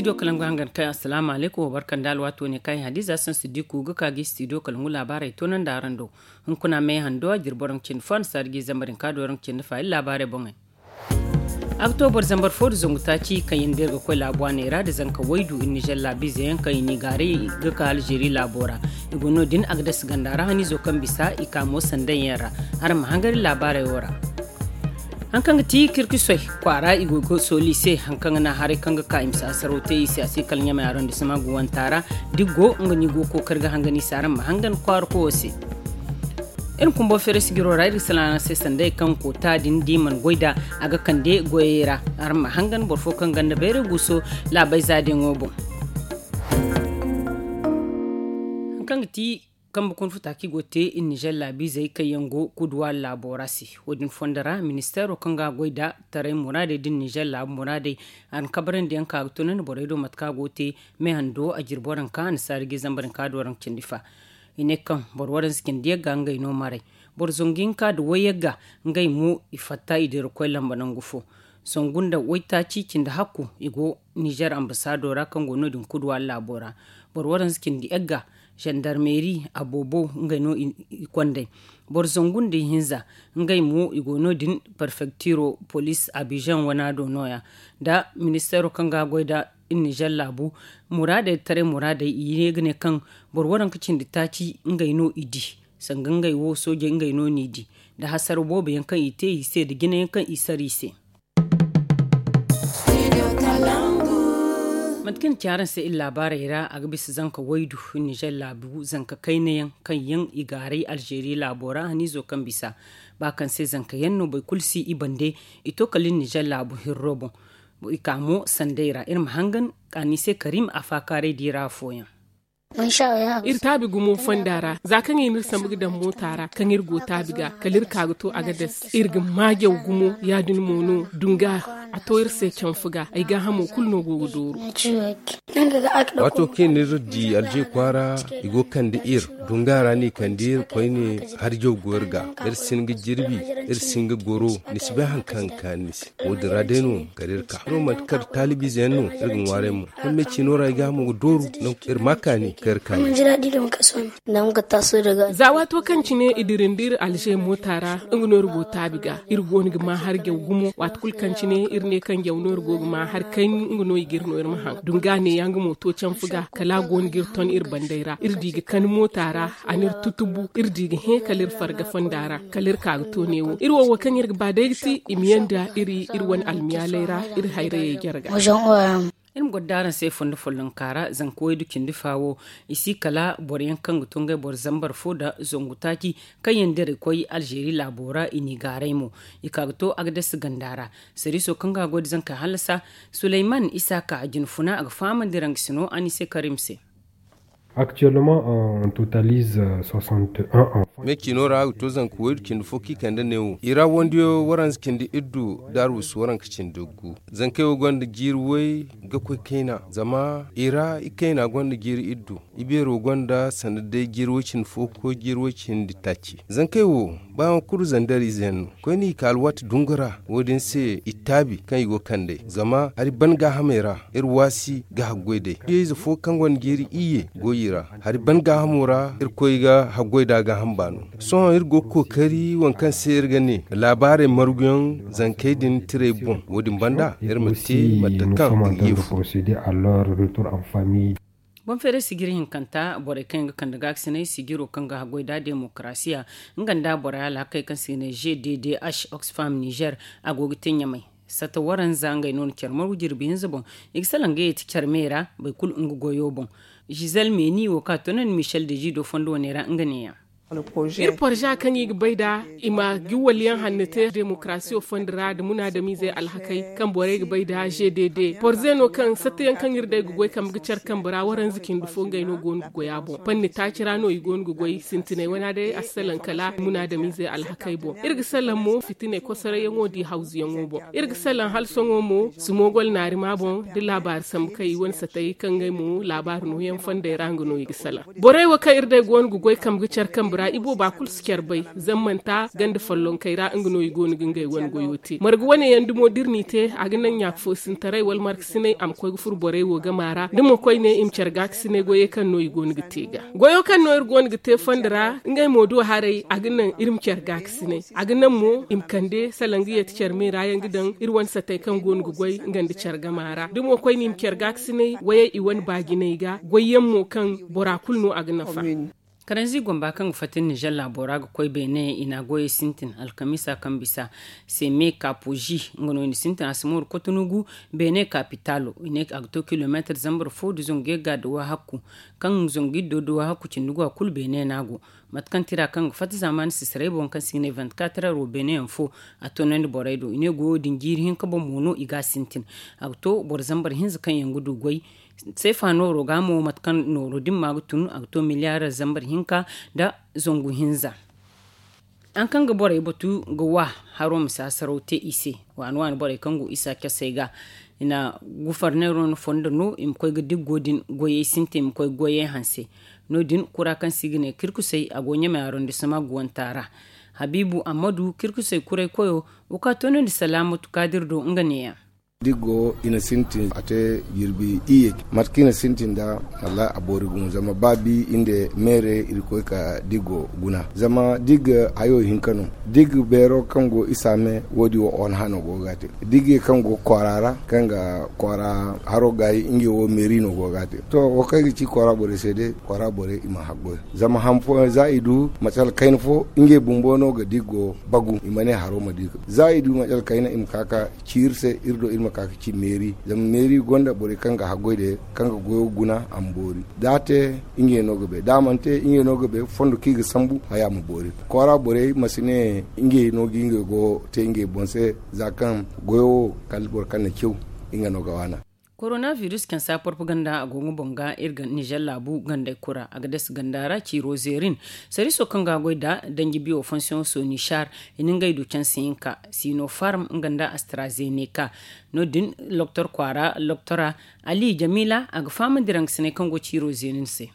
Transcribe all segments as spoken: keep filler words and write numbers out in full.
Studio kalangu hangan kaŋ, asalaamu alaykum, wa barka nda alwaato ne kaŋ ay hadiza sansi diku ga ka ga studio kalangu laabaarey toonandi araŋ do. Hunkuna me hando a jirbi waraŋ cindi fo a na saari ga zambarin ka do waraŋ cindi fa iri laabaarey boŋey. A ga to boro zambar fo da zangu taaci kaŋ yaŋ da iri ga koy laabu a neera da zanka waydu iri nizer laabiize yaŋ kaŋ i n'i gaaray ga ka alzeeri laabo ra. I go no din a ga dasi ganda ra haniizo kaŋ bisa i ka mo sanday yaŋ ra. Araŋ ma hangan iri laabaarey wo ra. Haŋ kaŋ ga ti kirkisoy kwaara i go ga sooli i se haŋ kaŋ ga naŋ haray kaŋ ga ka i ma si asaraw te i se a si kala ɲamay arondisema guwanta ra. Da i go nga no i go ga kookari ga hangan i se araŋ ma hangan kwaara koyo se. Iri kumbo feere sijiro ra iri ga salaŋ araŋ se sanday kaŋ koota din da i mana goy nd'a a ga kande goyey ra. Araŋ ma hangan boro fo kaŋ ganda bayray guuso laabayza diyaŋo boŋ. Haŋ kaŋ ga ti kambe kuna futa kaŋ i go ga te iri nizer laabiizey kaŋ yaŋ go kuduwaari laabo ra se. Wo- din fondo ra ministeero kaŋ ga goy nda taray muraadey da iri nizer laabu muraadey a na kabarandiyaŋ ka ga tunandi borey do mate kaŋ a go ga te. Me hando a jirbi waranka a na saari ga zambarin ka da waranka cindi fa. I ne kaŋ boro waranza cindi yagga ngey no maray. Boro zangu hinka nda way yagga ngey mo i fatta i dira koy lamba nangu fo. Zangu nda waytaaci cindi hakku i go nizer ambasaado ra kaŋ go no- din kuduwaari laabo ra. Boro waranza cindi yagga zandarmeeri aboobo ngey no i kond'ey. Boro zangu nda ihinza ngey mo i go no- din perfektiro poliis abizaŋ wana do nooya. Nda ministeero kaŋ ga goy nda iri nizer laabu muraadey taray muraadey i ne ga ne kaŋ boro waranka cindi taaci ngey no i di. Sanga ngey wo soojey ngey no n'i di nda hasara boobo yaŋ kaŋ i te i se nda jina yaŋ kaŋ i sara i se. Mate kaŋ i na ci araŋ se iri laabaarey ra a ga bisa zanka waydu nizer laabu zanka kayna yaŋ kaŋ yaŋ i gaaray alzeeri laabo ra haniizo kaŋ bisa ba kaŋ se zanka yaŋ no boro kulu si i bande. I to kala iri nizer laabu hirro boŋ. I ka mo sanday ra iri ma hangan ka ni se karim a faakaaray di ra afooyaŋ. Iri taabi gumo fonda ra za kaŋ i n'iri sambu ga daŋ moota ra kaŋ iri go taabi ga kala iri ka ga to a ga das iri ga maajaw gumo ya- din mo no dunga a to iri se canfu ga ay gaahamo kulu no go ga dooru. Waato kaŋ iri di alje kwaara i go ga kande iri dunga ra no i kande iri koyne. Harjaw go iri ga iri si hin ga jirbi iri si hin ga goro ni si bay hari kaŋ ga kaanu ni se. Wo- din ra day no kala iri ka iri wo manti kala taalibiize yaŋ no iri ga ŋwaaray mo. Kaŋ me ciino ra ay gaahamo ga dooru nangu kaŋ iri ma kaani kaŋ iri kaani. Za waato kaŋ cine i dirindi iri alze moota ra nga no iri go taabi ga iri go no ga ma hari jaw gumo waati kulu kaŋ cine iri ne kaŋ jaw no iri go ga ma hari kayni nga no i ga iri no iri ma haŋ dunga ne ya nga mo to canfu ga kala a go no ga iri ton iri bandey ra iri di ga kani moota ra. A n'iri tutubu iri di ga hẽ kala iri farga fonda ra kala iri ka ga to neewo iri wo wo kaŋ iri ga ba day ga ti i ma yaŋ da iri iri wane almiyaaley ra iri hayrayey jarga. Iri ma goro da araŋ se fondo follonka ra zanka waydu cindi fa wo i si kala boro yaŋ kaŋ ga to ngey boro zambar fo nda zangu taaci kaŋ yaŋ direy koy alzeeri laabo ra i n'i gaaray mo i ka ga to a ga dasi ganda ra. Sariiso kaŋ ga a goy nda zankey hallasa suleyman isaaka a jina funa a ga fahamandi raŋ ga si no a ni se karim se. Actuellement on totalise soixante et un ans. Me ciino ra a ga to zanka waydu cindi fo kaŋ i kande neewo i ra wandiyo waranza cindi iddu da arwasu waranka cindi gu. Zankey wo gonda jiiri way ga koy kayna zama i ra i kayna gonda jiiri iddu. I beero gonda sanda day jiiri way cindi fo ga koy jiiri way cindi taaci zankey wo ba yaŋ kulu zandar ize yaŋ no. Koyne i ka alwaati dungu ra wo- din se i taabi kaŋ i go ga kand'ey zama hari ban gaahamey ra iri waasi ga haggoy d'ey. Iyye ize fo kaŋ gonda jiiri iyye go i ra hari ban gaahamo ra irkoy ga haggoy nd'a gaaham baano. Sohõ iri go ga kookari waŋ kaŋ se iri ga ne laabaarey marguyaŋ zankey din tirey boŋ wo- din banda iri ma te mate kaŋ iri ga ye fu. Boŋ feeray sijiri hinkanta borey kaŋ yaŋ ga kande gaakasinay sijiro kaŋ ga haggoy nd'a demokarasiya nga nda borey alhakey kaŋ se i ga ne g d d h oxfam nizer a go ga te ɲamay. Sata waranza ngey no na care margu jirbi hinza boŋ. I ga salaŋ ga yeeti care me ra boro kulu nga goyo boŋ. Giselle meni wo kaŋ a toonandi michel deji do fondo wane ra nga neeya. Iri porza kaŋ i ga bay nd'a i ma giwwal yaŋ hanno te demokarasiyo fondo ra nda munaadamizey alhakey kaŋ borey ga bay nd'a g d d porze no kaŋ satta yaŋ kaŋ iri day ga goy kambe ga care kambe ra waranza cindi fo ngey no go no ga goy a boŋ panni taaci ra no i go no ga goy sintinay wana day a si salaŋ kala munaadamizey alhakey boŋ. Iri ga salaŋ mo fitinay kosorayyaŋo nda i hawzuyaŋo boŋ. Iri ga salaŋ hala sohõ mo sumogol naarima boŋ nda laabaari sambu kaŋ i wane satay kaŋ ngey mo laabaari nooyaŋ fondey ra nga no i ga salaŋ. Borey wo kaŋ iri day go no ga goy kambe ga care kambe ra. Ra ibooba kulu si care bay, zama manti ganda follonkey ra nga no i go no ga ngey wane goyo te. Marga wane yaŋ dumo da iri n'i te, a ga naŋ ɲaaka foosintaray wala markasinay a ma koy ga furo borey wo gama ra da mo koyne i ma care gaakasinay goyey kaŋ no i go no ga te ga. Goyo kaŋ no iri go no ga te fondo ra ngey mo do haray, a ga naŋ iri ma care gaakasinay. A ga naŋ mo i ma kande sala nga yeeti care me ra yaŋ ga daŋ iri wane satey kaŋ go no ga goy nga nda care gama ra da mo koyne i ma care gaakasinay wayey i wane baajinay ga goy yaŋ mo kaŋ bora kulu no a ga nafa. Karanzi gomba kaŋ ga fatta nizer laabo ra ga koy beene i na a goyey sintin alkamiisa kaŋ bisa seme kaapozi nga no i na sintin a si mooru kotonugu beene kaapitaalo i ne a ga to kilomeetar zambar fo nda zangu yagga nda waahakku. Kaŋ zangu iddo nda waahakku cindi go a kulu beene no a go. Mate kaŋ tira kaŋ ga fatta zaamaani sisaray boŋ kaŋ se i ga ne vingt-quatre heures wo beene yaŋ fo a toonandi borey do i ne goyo din jiiri hinka boŋ mo no i ga a sintin. A ga to boro zambar hinza kaŋ yaŋ ga du goy seefa nooro ga mo mate kaŋ nooro din ma ga tun a ga to miliyaar zambar hinka nda zangu hinza. Haŋ kaŋ ga borey batu ga wa haro ma si hasaraw te i se. Waani waani borey kaŋ go isa casey ga i na gufarneero no fondo no i ma koy ga diggo din goyey sintin i ma koy ga goyey hanse. No- din kura kaŋ se i ga ne kirkusey a go ɲamey arondissement guwanta ra. Habiibu ammadu kirkusey kuray koyo wo ka toonandi salaamatu kaadir do nga neeyaŋ. Diggo i na sintin a te jirbi iyye. Mate kaŋ i na sintin nd'a, wallahi a boori gumo zama ba bi inde meere iri koy ka diggo guna zama digga hayo hinka no. Digga beero kaŋ go isa me wo- din wo on hano go ga a te. Diggey kaŋ go kwaara ra kaŋ ga kwaara haro gaayi ngey wo meeri no go ga a te. To wo kaŋ ay ga ci kwaara borey se day kwaara borey i ma haggoy zama han fooyaŋ za i du macal kayna fo ngey bumbo no ga diggo bagu i ma ne haro ma di. Za i du macal kayna i ma ka ka ci iri se iri do iri ma ka ga ci meeri zama meeri gonda borey kaŋ ga haggoy day kaŋ ga goyo guna a ma boori. Da a te ngey no ga bay da a mana te ngey no ga bay fondo kaŋ i ga sambu haya ma boori. Kwaara borey ma si ne ngey no ga ngey go te ngey boŋ se za kaŋ goyo wo kala boro kaŋ na caw nga no ga waana. Korona virus cansa porpaganda a go nga boŋ ga iri ga nizer laabu gandey kura a ga dasi ganda ra ciiro zeerin. Sariiso kaŋ ga a goy nda danji biyo fonsiyoŋ sonichar i na ngey du cansi hinka sinofarm nga nda astrazeneka. No- din loktor kwaara loktora ali jamila a ga fahamandi rangasiney kaŋ go ciiro zeerin se.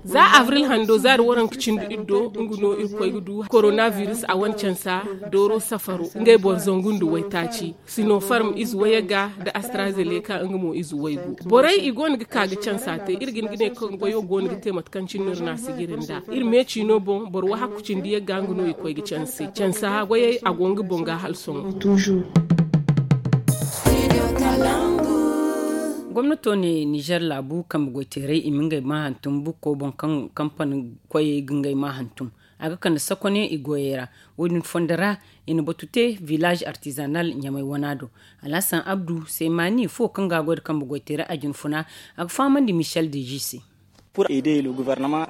Za avril hando za da waranka cindi iddo nga no iri koy ga du koronavirus a wane cansa dooro safaro ngey boro zangu nda waytaaci sinofarm ize wayagga nda astrazeleka nga mo ize waygu. Borey i go no ga ka ga cansa te iri ga hin ga ne kaŋ goyo go no ga te mate kaŋ cine no iri na a sijiri nda iri meeci no boŋ boro wahakku cindi yagga nga no i koy ga canse cansa goyey a go nga boŋ ga hala sohõ. Gomnato ne nizer laabu kambe goyteerey i ma ngey ma hantum bukko boŋ kaŋ kampani koyey ga ngey ma hantum. A ga kande sakone i goyey ra. Wo- din fondo ra i na batu te village artisanal ɲamay wana do. Alhasan abdu seemani fo kaŋ ga a goy nda kambe goyteerey a jinfuna a ga fahamandi michel deji se. Iri ma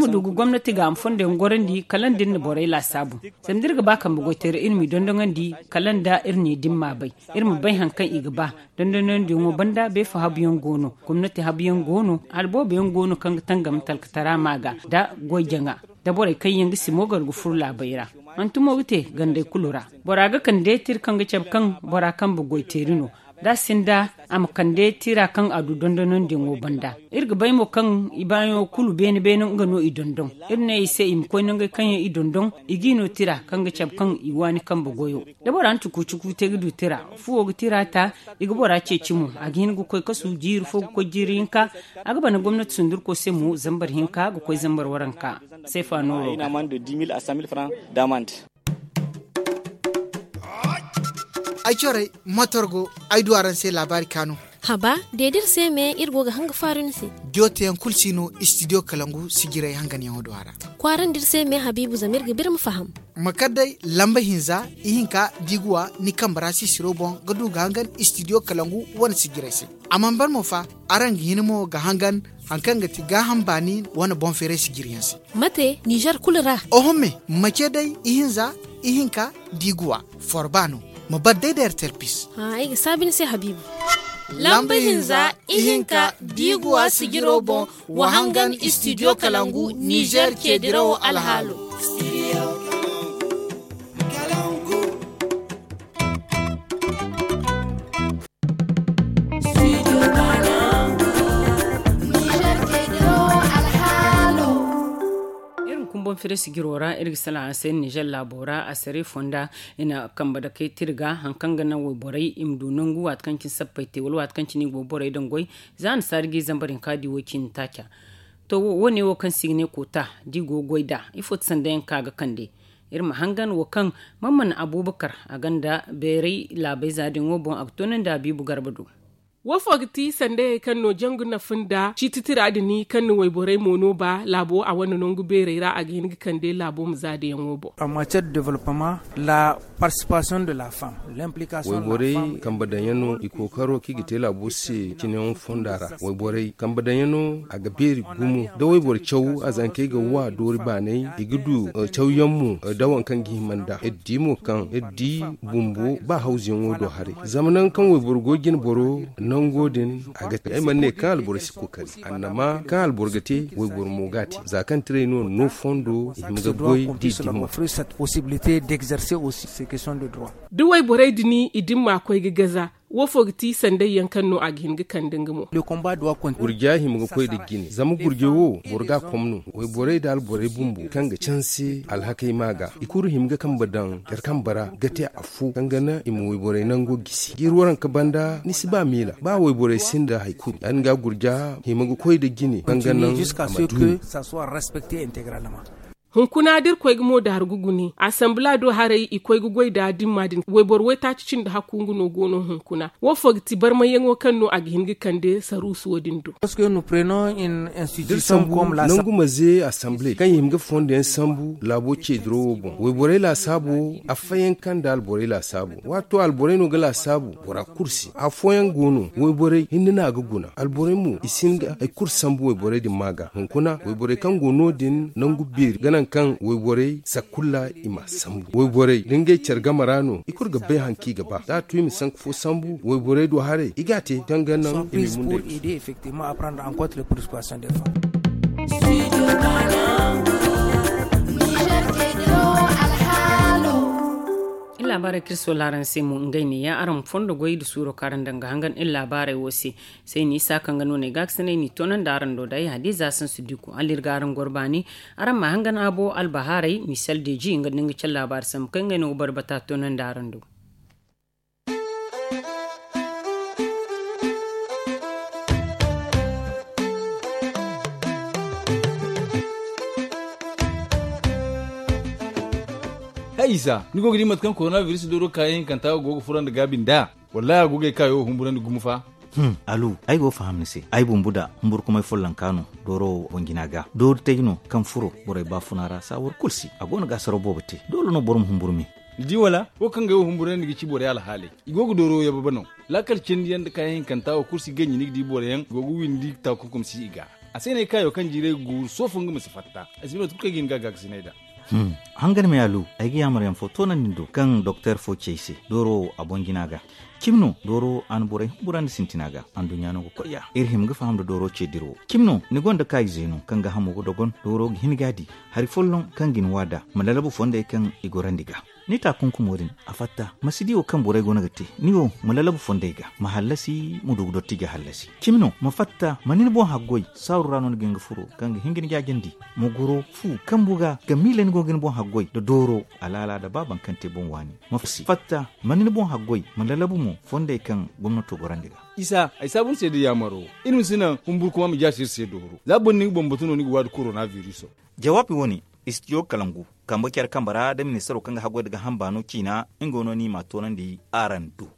du ga gomnati ga a ma fondo yaŋ gorandi kala nda iri na borey laasaabu. Zama da iri ga ba kambe goyteerey iri m'i dondoŋandi kala nda iri ne da ni m'a bay. Iri ma bay hari kaŋ i ga ba dondonandiyaŋo banda beefo habu yaŋ go no gomnati habu yaŋ go no hala boobo yaŋ go no kaŋ ga tangam talkatara ma ga nda goy jaŋa nda borey kaŋ yaŋ ga simo gar ga furo laabey ra. Hantumo ga te gandey kulu ra. Bora ga kande tira kaŋ ga cabe kaŋ bora kambe goyteeri no da a sinda a ma kande tira kaŋ a du dondonandiyaŋo banda. Iri ga bay mo kaŋ i baayaŋo kulu beene beene nga no i dondon. Iri ne i se i ma koy nangey kaŋ yaŋ i dondon i g'i no tira kaŋ ga cabe kaŋ i waani kambe goyo. Da bora na cuku cuku te ga du tira fuwo ga tira ta. I ga bora ceeci mo a ga hin ga koy kasu jiiri fo ga koy jiiri hinka. A ga bana gomnati sundurko se mo zambar hinka ga koy zambar waranka. Seefa nooro ga. Ay corey matorgo ay du araŋ se laabaari kaanu. Haba deedi iri se me iri go ga hanga faaru ni se. Diyo teyaŋ kulu si no istidiyo kalangu sijiray hanganyaŋo du a ra. Kwaarandi iri se me habiibu zama iri ga ba iri ma faham. Ma kar day lamba hinza ihinka da i ga wa ni kambe ra sisiro boŋ ga du ga hangan istidiyo kalangu wane sijiray se. A mana ban mo fa araŋ ga hin mo ga hangan hari kaŋ ga ti gaaham baani wane boŋ feeray sijiriyaŋ se. Mate nizer kulu ra. Oho me mace day ihinza ihinka da i ga wa forba no. Ma bar day da ertel pis. Ay ga saabi ni se habiibu. Lamba hinza ihinka da i ga wa sijiro boŋ wa hangan istidiyo kalangu nizer ceedirawo alhaalo. Konferensi jiro ra iri ga salaŋ a se nizer laabo ra a sare fonda i na kambe dakey te iri ga hari kaŋ ga naŋ wayborey i ma du nangu waati kaŋ cine sappey te wala waati kaŋ cine i go ga borey daŋ goy. Za a na saari ga i zambar hinka di wo- cine taaca. To wo- ne wo kaŋ se i ga ne koota da i go ga goy nd'a ifo ti sanda yaŋ kaŋ a ga kande? Iri ma hangan wo kaŋ man mana abuubakar a gonda beeray laabayza din wo boŋ a ga toonandi a biibu garba do. Wo fo ga ti sandayey kaŋ no jangu nafa nda ciiti tira din kaŋ na wayborey mo no ba laabo a wane nangu beerey ra a ga hin ga kande laabo ma za da yaŋo boŋ. Wayborey kambe daŋ yaŋ no i kookaro kaŋ i ga te laabo se cine yaŋ fonda ra wayborey kambe daŋ yaŋ no a ga beeri gumo da wayboro caw a zankey ga wa doori baanay i ga du caw yaŋ mo da waŋ kaŋ ga hima nd'a iri di mo kaŋ iri di bumbo ba hawzu yaŋo do haray. Zama nangu kaŋ wayboro go ga jina boro nango din a ga te ay mana ne kaŋ alboro si kookari annama kaŋ alboro ga te wayboro mo ga a te za kaŋ tiray no no fondo i hima ga goy da i dimma. Da wayborey din i dimma koy ga gaza wo fo ga ti sanday yaŋ kaŋ no a ga hin ga kande nga mo. Gurja hima ga koy nda jine zama gurja wo boro ga a kom no wayborey nda alborey bumbo kaŋ ga canse alhakey ma ga i kulu hima ga kambe daŋ care kambe ra ga te afo kaŋ ga naŋ i ma wayborey nango gisi da iri waranka banda ni si ba miila ba wayborey sinda hari kulu ya- din ga gurja hima ga koy nda jine kaŋ ga naŋ a ma du. Hunkuna da iri koy ga mo daaru ga gune asambla do haray i koy ga goy nda dimma din wayboro waytaaci cindi hakku nga no go no hunkuna wo fo ga ti barmayyaŋo kaŋ no a ga hin ga kande saruusu wo- din do. Da iri sambu nangu maze asamble kaŋ i hima ga fondo yaŋ sambu laabo ce dirawo boŋ wayborey laasaabo affayanka nda alborey laasaabo waato alborey no ga laasaabu bora kulu se afooyaŋ go no wayborey hinne no a ga guna alborey mo i si hin ga hari kulu sambu wayborey din ma ga hunkuna wayborey kaŋ go no- din nangu beeri ga naŋ kaŋ wayborey sakkulla i ma a sambu wayborey da ngey care game ra no i kulu ga bay hari kaŋ i ga ba da a tu i ma sanka fo sambu wayborey do haray i ga a te kaŋ ga naŋ i ma i mundey du. Iri laabaarey kaŋ iri sola araŋ se mo ngey ne ya araŋ ma fondo goy nda suuro kaŋ araŋ daŋ ga hangan iri laabaarey wo se. Sayni isa kaŋ ga no no ay ga ga sinay no i toonandi araŋ do da ay hadiza sansu diko hala iri ga araŋ goro baani. Araŋ ma hangan a bo albahaaray misel deeji nga nda nga care laabaari sambu kaŋ ngey no ga boro bata toonandi araŋ do. Hay isa ni go ga di mate kaŋ korona biris dooro kaayaŋ hinkanta go ga furandi gaabi nd'a? Wallaahi a go ga ay kaayo wo humburandi gumo fa. Alu, ay go ga faham ni se ay bumbu da humburkumay follonka no dooro wo boŋ jina ga doori tay no kaŋ furo borey baafuna ra saawar kulu se a go no ga asaraw boobo te doole no boro ma humburu me. Ni di wala wo kaŋ ga ay wo humburandi ga ci borey alhaaley i go ga dooro wo yababa no. Laakal cindi yaŋ nda kaayaŋ hinkanta wo kulu si ganji ni ga di boro yaŋ go ga windi taakunkum si i ga. A se no ay kaayo kaŋ jiiray ga guuru soofo nga ma si fatta ay si bay mate kulu kaŋ ay ga hin ga a gaakasinay nd'a. Hangan me alu, ay ga yaamar yaŋ fo toonandi ni do kaŋ doktor fo ci ay se dooro wo a boŋ jina ga. Cimi no dooro wo a na borey humburandi sintina ga anduɲɲa no ga koy ya iri hima ga faham nda dooro ce dira wo cimi no ni gonda kaayizey no kaŋ ga hamo ga dogon dooro ga hin ga a di hari folloŋ kaŋ ga ni wa nd'a ma lalabu fondey kaŋ i gorandi ga. Ni taakunkumo din a fatta ma si di wo kaŋ borey go no ga te ni wo ma lalabu fondey ga ma hallasi ma du ga dotti ga hallasi. Cimi no ma fatta ma ni ni boŋ haggoy saaru ra no ni ga hin ga furo kaŋ ga hin ga ni jaajandi ma goro fu kambu ga ga miila ni go ga ni boŋ haggoy nda dooro alaala nda ba baŋ kaŋ te boŋ waani. Ma fatta ma ni ni boŋ haggoy ma lalabu mo fondey kaŋ gomnato gorandi ga. Isa ay saabu ni se da yaamaro iri ma si naŋ humburkuma ma jaasi iri se dooro za boro ni ga boŋ batu no ni ga waadi korona viriso. Jawaabi wane istijo kalangu kambe care kambe ra da ministaro kaŋ ga haggoy nda ga hamba no ciina nga no ni ma a toonandi araŋ do.